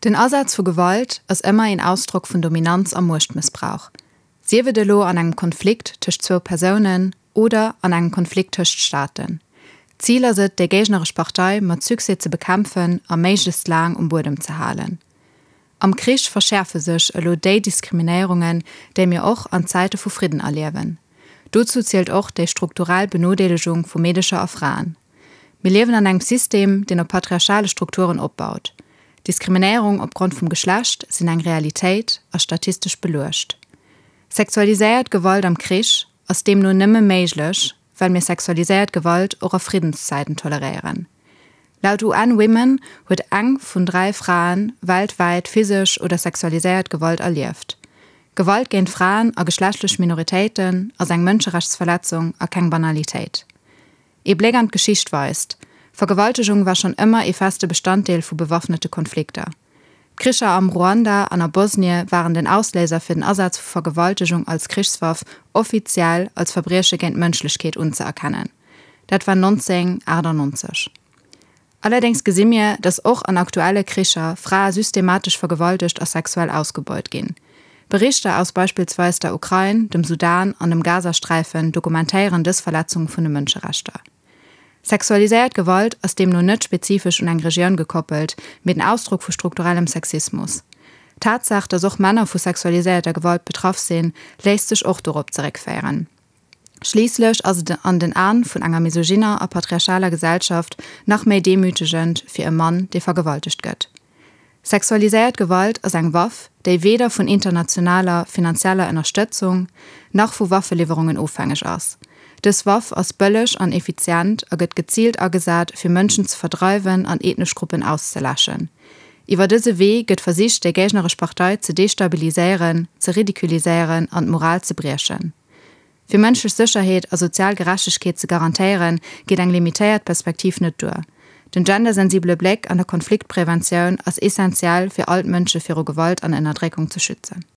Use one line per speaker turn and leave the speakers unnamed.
Den Asaz vu Gewalt ass ëmmer een Ausdrock vun Dominanz a Muechtmëssbrauch, sief et elo an engem Konflikt tëscht zwou Persounen oder an engem Konflikt tëscht Staaten. D'Zil ass et, déi géigneresch Partei mat Succès ze bekämpfen a méiglechst laang um Buedem ze halen. Am Krich verschäerfe sech elo déi Diskriminéierungen, déi mir och an Zäite vu Fridden erliewen. Dozou zielt och déi strukturell Benodeelegung vu Meedecher a Fraen. Mir liewen an engem System, deen op patriarchale Strukturen opbaut. Diskriminéierung opgrond vum Geschlecht sinn eng Realitéit a statistesch beluecht. Sexualiséiert Gewalt am Krich ass deemno nëmme méiglech, well mir sexualiséiert Gewalt och a Friddenszäiten toleréieren. Laut UN Women huet eng vun 3 Frae weltwäit physesch oder sexualiséiert Gewalt erlieft. Gewalt géint Fraen a geschlechtlech Minoritéiten ass eng Mënscherechtsverletzung a keng Banalitéit. Ee Bléck an d'Geschicht weist, Vergewaltegung war schonn ëmmer ee feste Bestanddeel vu bewaffnete Konflikter. D'Kricher am Ruanda an a Bosnie waren den Ausléiser fir den Asaz vu Vergewaltegung als Krichswaff offiziell als Verbrieche géint d'Mënschlechkeet unzëerkennen. Dat war 1998. Allerdéngs gesi mir, datt och an aktuelle Kricher Frae systematesch vergewaltegt a sexuell ausgebeut ginn. Berichter aus beispillsweis der Ukrain, dem Sudan an dem Gazasträifen dokumentéieren dës Verletzung vun de Mënscherechter. Sexualiséiert Gewalt ass deemno net spezifesch un eng Regioun gekoppelt, mee den Ausdrock vu strukturellem Sexismus. D'Tatsaach, datt och Männer vu sexualiséierter Gewalt betraff sinn, léisst sech och dorop zeréckféieren. Schliisslech ass et an den Aen vun enger misogynner a patriarchaler Gesellschaft nach méi demütegend fir e Mann, dee vergewaltegt gëtt. Sexualiséiert Gewalt ass eng Waff, déi weder vun internationaler finanzieller Ënnerstëtzung nach vu Waffeliwwerungen ofhängeg ass. Dës Waff ass bëlleg an effizient a gëtt geziilt agesat, fir Mënschen ze verdreiwen an ethnesch Gruppen auszeläschen. Iwwer dëse Wee gëtt versicht, déi géigneresch Partei ze destabiliséieren, ze ridiculiséieren an d'Moral ze briechen. Fir mënschlech Sécherheet a sozial Gerechtegkeet ze garantéieren, geet eng limitéiert Perspektiv net duer. Den gendersensibele Bléck an der Konfliktpreventioun ass essentiell, fir all d'Mënsche viru Gewalt an Ënnerdréckung ze schützen.